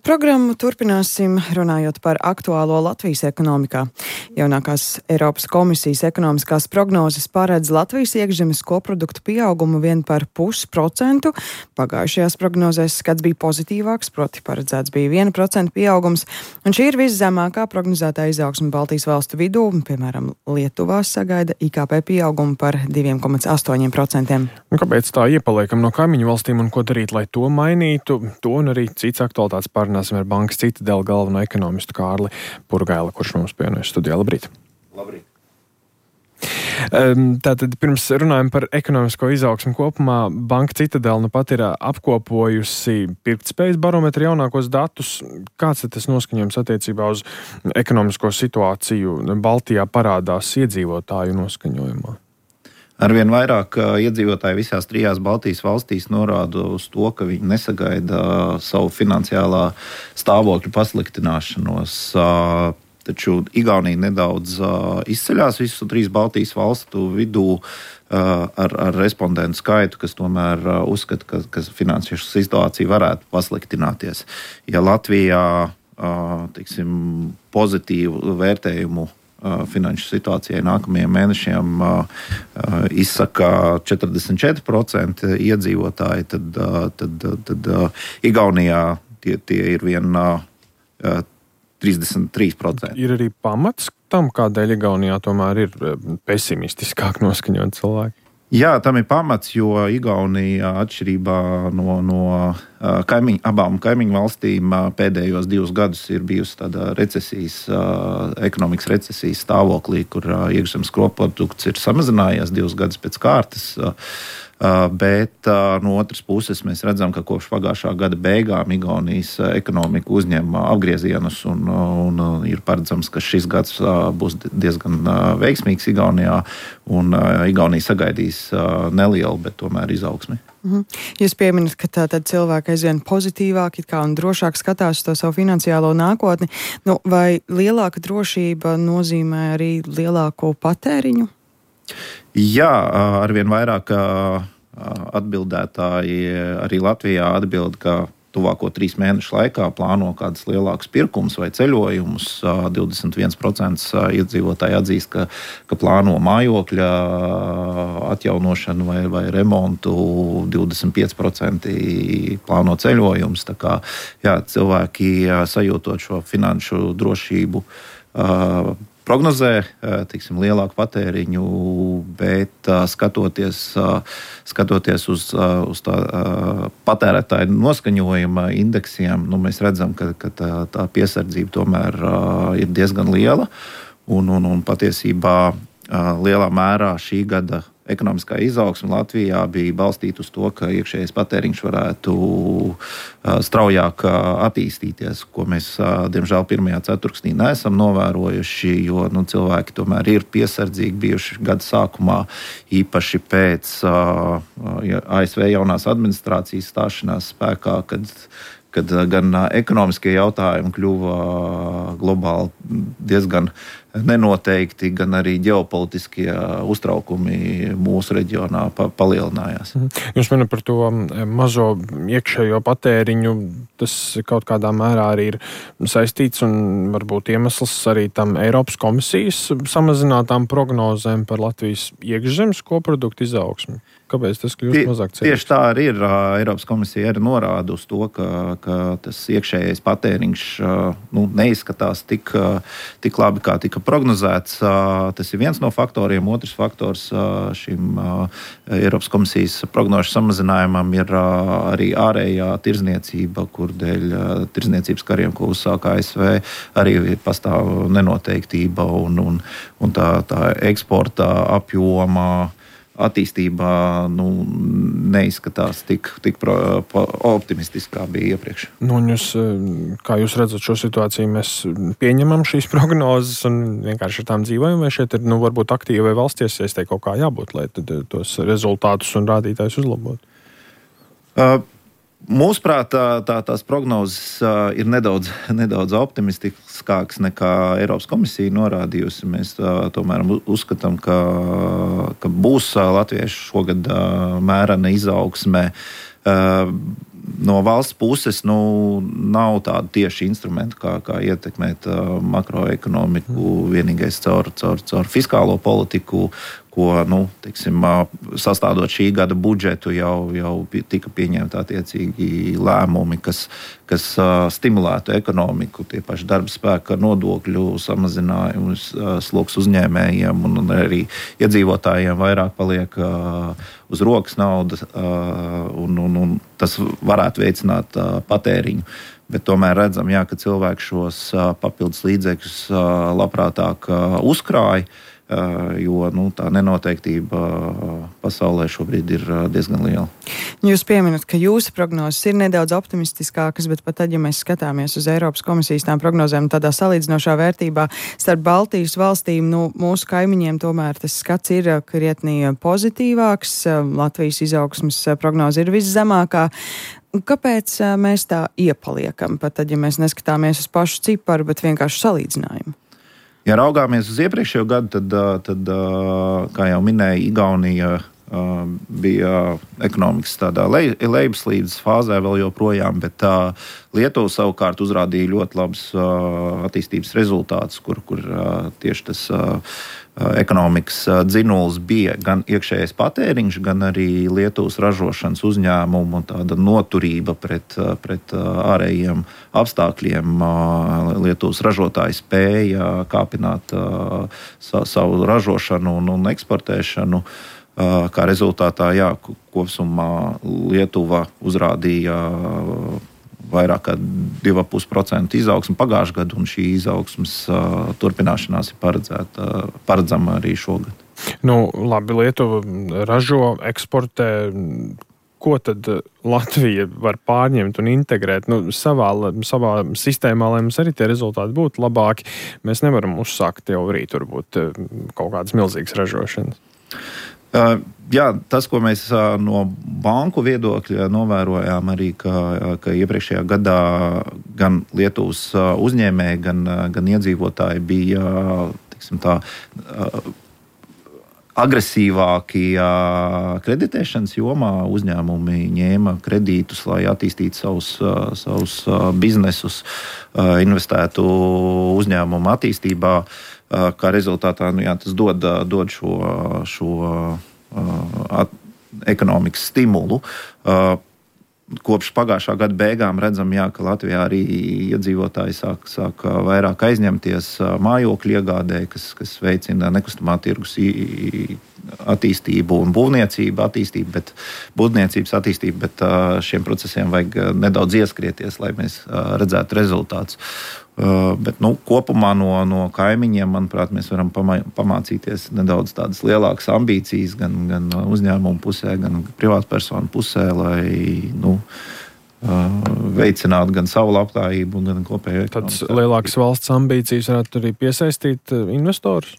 Programmu turpināsim runājot par aktuālo Latvijas ekonomikā. Jaunākās Eiropas komisijas ekonomiskās prognozes paredz Latvijas iekšzemes koproduktu pieaugumu 1,5%. Pagājušajās prognozēs skats bija pozitīvāks, proti paredzēts bija 1% pieaugums, un šī ir viszemākā prognozētā izaugsme Baltijas valstu vidū. Piemēram, Lietuvā sagaida IKP pieaugumu par 2,8%. Kāpēc tā iepaliekam no kaimiņu valstīm un ko darīt, lai to mainītu? To un arī cits aktualitātes pārunāsim ar Bankas Citadele galveno ekonomistu Kārli Purgaili, kurš mums pievienojas studijā. Labrīt! Labrīt! Tātad pirms runājam par ekonomisko izaugsmu kopumā, Banka Citadele nu pat ir apkopojusi pirktspējas barometra jaunākos datus. Kāds ir tas noskaņojums attiecībā uz ekonomisko situāciju Baltijā parādās iedzīvotāju noskaņojumā? Arvien vairāk iedzīvotāji visās trijās Baltijas valstīs norāda uz to, ka viņi nesagaida savu finansiālā stāvokļa pasliktināšanos. Taču Igaunija nedaudz izceļās visu trīs Baltijas valstu vidū ar respondentu skaitu, kas tomēr uzskata, ka finansiāla situācija varētu pasliktināties. Ja Latvijā pozitīvu vērtējumu finanšu situācijai nākamajiem mēnešiem izsaka 44% iedzīvotāji, tad Igaunijā tie ir vien 33%. Ir arī pamats tam, kādēļ Igaunijā tomēr ir pesimistiskāk noskaņot cilvēki? Jā, tam ir pamats, jo Igaunija atšķirībā no abām kaimiņu valstīm pēdējos 2 gadus ir bijusi tāda ekonomikas recesijas stāvoklī, kur iekšzemes koprodukts ir samazinājies 2 gadus pēc kārtas. Bet no otras puses mēs redzam, ka kopš pagājušā gada beigām Igaunijas ekonomika uzņem apgriezienus un ir paredzams, ka šis gads būs diezgan veiksmīgs Igaunijā un Igaunija sagaidīs nelielu, bet tomēr izaugsmi. Jūs pieminat, ka tātad cilvēki aizvien pozitīvāk un drošāk skatās uz to savu finansiālo nākotni. Vai lielāka drošība nozīmē arī lielāko patēriņu? Jā, arvien vairāk atbildētāji arī Latvijā atbild, ka tuvāko 3 mēnešu laikā plāno kādus lielākus pirkumus vai ceļojumus. 21% iedzīvotāji atzīst, ka plāno mājokļa atjaunošanu vai remontu, 25% plāno ceļojumus. Tā kā cilvēki sajūtot šo finanšu drošību prognozē, lielāku patēriņu, bet skatoties uz tā patērētāju noskaņojuma indeksiem, mēs redzam, ka tā piesardzība tomēr ir diezgan liela un patiesībā lielā mērā šī gada ekonomiskā izaugsme Latvijā bija balstīta uz to, ka iekšējais patēriņš varētu straujāk attīstīties, ko mēs, diemžēl, pirmajā ceturksnī neesam novērojuši, jo cilvēki tomēr ir piesardzīgi bijuši gada sākumā, īpaši pēc ASV jaunās administrācijas stāšanās spēkā, kad gan ekonomiskie jautājumi kļuva globāli diezgan nenoteikti, gan arī ģeopolitiskie uztraukumi mūsu reģionā palielinājās. Jūs runājat par to mazo iekšējo patēriņu. Tas kaut kādā mērā arī ir saistīts un varbūt iemesls arī tam Eiropas komisijas samazinātām prognozēm par Latvijas iekšzemes koproduktu izaugsmi. Kāpēc tas kļūst mazāk cerīgs? Tieši tā arī ir. Eiropas komisija arī norāda uz to, ka tas iekšējais patēriņš neizskatās tik labi, kā tika prognozēts. Tas ir viens no faktoriem. Otrs faktors šim Eiropas komisijas prognožu samazinājumam ir arī ārējā tirdzniecība, kur dēļ tirdzniecības kariem, ko uzsāka ASV, arī pastāv nenoteiktība un tā eksporta apjoma attīstībā neizskatās tik optimistiski, kā bija iepriekš. Kā jūs redzat šo situāciju, mēs pieņemam šīs prognozes un vienkārši ar tām dzīvojam, vai šeit ir varbūt aktīvai valsts iesaistē kaut kā jābūt, lai tos rezultātus un rādītājus uzlabotu? Mūsuprāt, tās prognozes ir nedaudz optimistiskākas nekā Eiropas komisija norādījusi. Mēs tomēr uzskatām, ka būs latviešu šogad mērena izaugsme. no valsts puses nav tāda tieši instrumenta, kā ietekmēt makroekonomiku, vienīgais caur fiskālo politiku, ko, sastādot šī gada budžetu, jau tika pieņemti attiecīgi lēmumi, kas stimulētu ekonomiku, tie paši darba spēka nodokļu samazinājums, sloks uzņēmējiem un arī iedzīvotājiem vairāk paliek uz rokas nauda, un tas varētu veicināt patēriņu. Bet tomēr redzam, ka cilvēki šos papildus līdzekļus labprātāk uzkrāja, jo tā nenoteiktība pasaulē šobrīd ir diezgan liela. Jūs pieminat, ka jūsu prognozes ir nedaudz optimistiskākas, bet pat tad, ja mēs skatāmies uz Eiropas komisijas tām prognozēm tādā salīdzinošā vērtībā starp Baltijas valstīm, mūsu kaimiņiem tomēr tas skats ir krietni pozitīvāks. Latvijas izaugsmes prognoze ir viszemākā. Kāpēc mēs tā iepaliekam, pat tad, ja mēs neskatāmies uz pašu ciparu, bet vienkārši salīdzinājumu? Ja raugāmies uz iepriekšējo gadu, tad kā jau minēja, Igaunija bija ekonomikas tādā lejupslīdes fāzē vēl joprojām, bet Lietuva savukārt uzrādīja ļoti labus attīstības rezultātus, kur tieši tas ekonomikas dzinulis bija gan iekšējais patēriņš, gan arī Lietuvas ražošanas uzņēmumu tāda noturība pret ārējiem apstākļiem. Lietuvas ražotāji spēja kāpināt savu ražošanu un eksportēšanu. Kā rezultātā, kopsumā Lietuva uzrādīja vairāk kā 2,5% izaugsmu pagājušajā gadā, un šī izaugsmes turpināšanās ir paredzama arī šogad. Labi, Lietuva ražo, eksportē. Ko tad Latvija var pārņemt un integrēt savā sistēmā, lai mums arī tie rezultāti būtu labāki? Mēs nevaram uzsākt jau rīt varbūt kaut kādas milzīgas ražošanas. Tas, ko mēs no banku viedokļa novērojām arī, ka iepriekšējā gadā gan Lietuvas uzņēmēji, gan iedzīvotāji bija, agresīvāki kreditēšanas jomā. Uzņēmumi ņēma kredītus, lai attīstītu savus biznesus, investētu uzņēmumu attīstībā. Kā rezultātā tas dod šo ekonomikas stimulu. Kopš pagājušā gada beigām redzam, ka Latvijā arī iedzīvotāji sāk vairāk aizņemties mājokļu iegādē, kas veicina nekustamā tirgus attīstību un būvniecību attīstību, bet šiem procesiem vajag nedaudz ieskrieties, lai mēs redzētu rezultātus. Bet kopumā no kaimiņiem, manuprāt, mēs varam pamācīties nedaudz tādas lielākas ambīcijas gan uzņēmumu pusē, gan privātpersonu pusē, lai veicinātu gan savu labklājību, gan kopējo ekonomiku. Tādas lielākas valsts ambīcijas varētu arī piesaistīt investorus?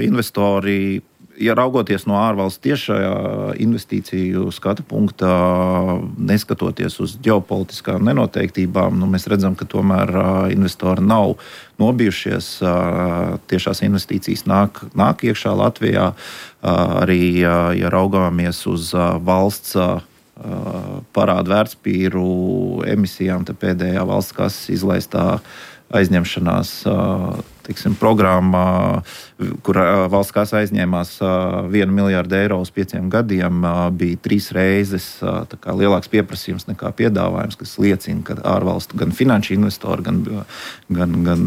Investori, ja raugoties no ārvalstu tiešajā investīciju skatu punktā, neskatoties uz ģeopolitiskām nenoteiktībām, mēs redzam, ka tomēr investori nav nobijušies. Tiešās investīcijas nāk iekšā Latvijā. Arī, ja raugāmies uz valsts parādu vērtspapīru emisijām, tad pēdējā valsts kases izlaistā aizņemšanās programmā, kur valsts kasa aizņēmās 1 miljārdu eiro uz 5 gadiem, bija 3 reizes lielāks pieprasījums nekā piedāvājums, kas liecina, ka ārvalstu gan finanšu investori, gan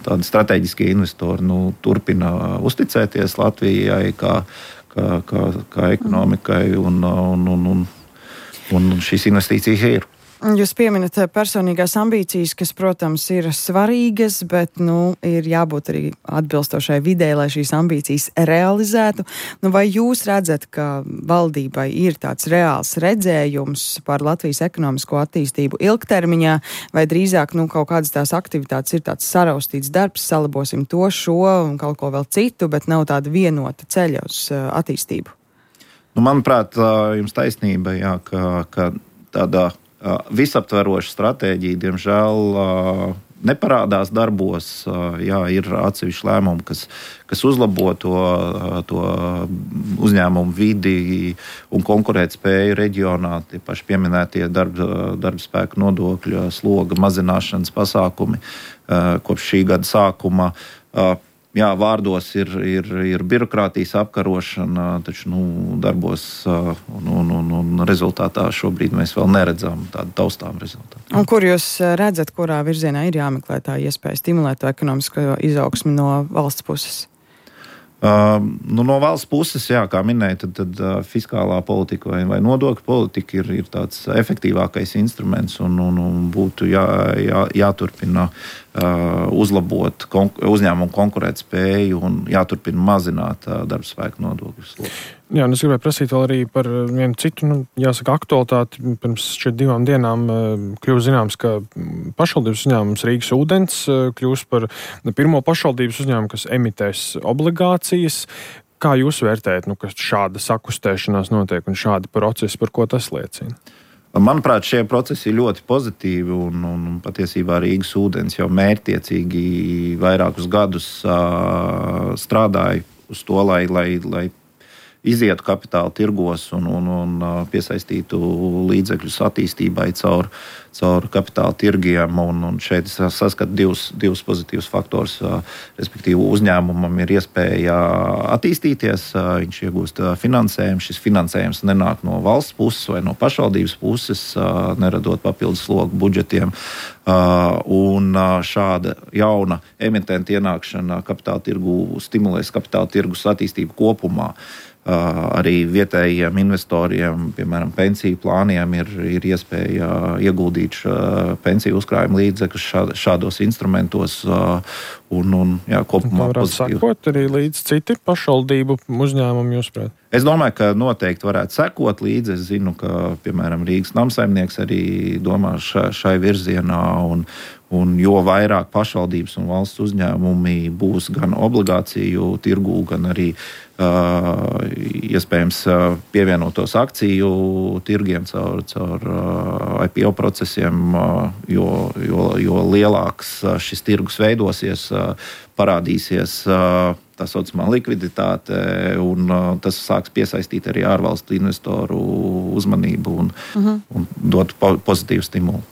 tādi strateģiskie investori turpina uzticēties Latvijai kā ekonomikai, un šīs investīcijas ir. Jūs pieminat personīgās ambīcijas, kas, protams, ir svarīgas, bet, ir jābūt arī atbilstošai vidē, lai šīs ambīcijas realizētu. Vai jūs redzat, ka valdībai ir tāds reāls redzējums par Latvijas ekonomisko attīstību ilgtermiņā, vai drīzāk, kaut kādas tās aktivitātes ir tāds saraustīts darbs, salabosim to, šo un kaut ko vēl citu, bet nav tāda vienota ceļa uz attīstību? Manuprāt, jums taisnība, ka tādā visaptveroša stratēģija, diemžēl, neparādās darbos. Jā, ir atsevišķi lēmumi, kas uzlabo to uzņēmumu vidi un konkurētspēju reģionā. Tie paši pieminētie darba spēka nodokļu sloga mazināšanas pasākumi kopš šī gada sākuma. Jā, vārdos ir birokrātijas apkarošana, taču darbos un rezultātā šobrīd mēs vēl neredzam tādu taustām rezultātu. Un kur jūs redzat, kurā virzienā ir jāmeklē tā iespēja stimulēt to ekonomisko izaugsmi no valsts puses? No valsts puses, jā, kā minēja, tad fiskālā politika vai nodokļu politika ir tāds efektīvākais instruments un būtu jāturpina uzlabot uzņēmumu konkurētspēju un jāturpina mazināt darbspēka nodokļu slogu. Jā, un es gribēju prasīt vēl arī par vienu citu, jāsaka, aktualitāti. Pirms 2 dienām kļuva zināms, ka pašvaldības uzņēmums Rīgas ūdens kļūs par pirmo pašvaldības uzņēmumu, kas emitēs obligācijas. Kā jūs vērtējat, ka šāda sakustēšanās notiek un šādi procesi, par ko tas liecina? Manuprāt, šie procesi ir ļoti pozitīvi un patiesībā Rīgas ūdens jau mērķtiecīgi vairākus gadus strādāja uz to, lai izietu kapitāla tirgos un piesaistītu līdzekļus attīstībai caur kapitāla tirgiem. Un šeit es saskatu divus pozitīvus faktorus. Respektīvi, uzņēmumam ir iespēja attīstīties, viņš iegūst finansējumu. Šis finansējums nenāk no valsts puses vai no pašvaldības puses, neradot papildus slogu budžetiem. Un šāda jauna emitenta ienākšana kapitāla tirgu stimulēs kapitāla tirgus attīstību kopumā. Arī vietējiem investoriem, piemēram, pensiju plāniem ir iespēja ieguldīt pensiju uzkrājuma līdzekļus šādos instrumentos kopumā varētu sekot arī līdz citi pašvaldību uzņēmumi, jūsuprāt? Es domāju, ka noteikti varētu sekot līdzi. Es zinu, ka, piemēram, Rīgas namsaimnieks arī domā šai virzienā, un jo vairāk pašvaldības un valsts uzņēmumi būs gan obligāciju tirgū, gan arī iespējams pievienotos akciju tirgiem caur IPO procesiem, jo lielāks šis tirgus veidosies, parādīsies tā saucamā likviditāte, un tas sāks piesaistīt arī ārvalstu investoru uzmanību un dot pozitīvu stimulu.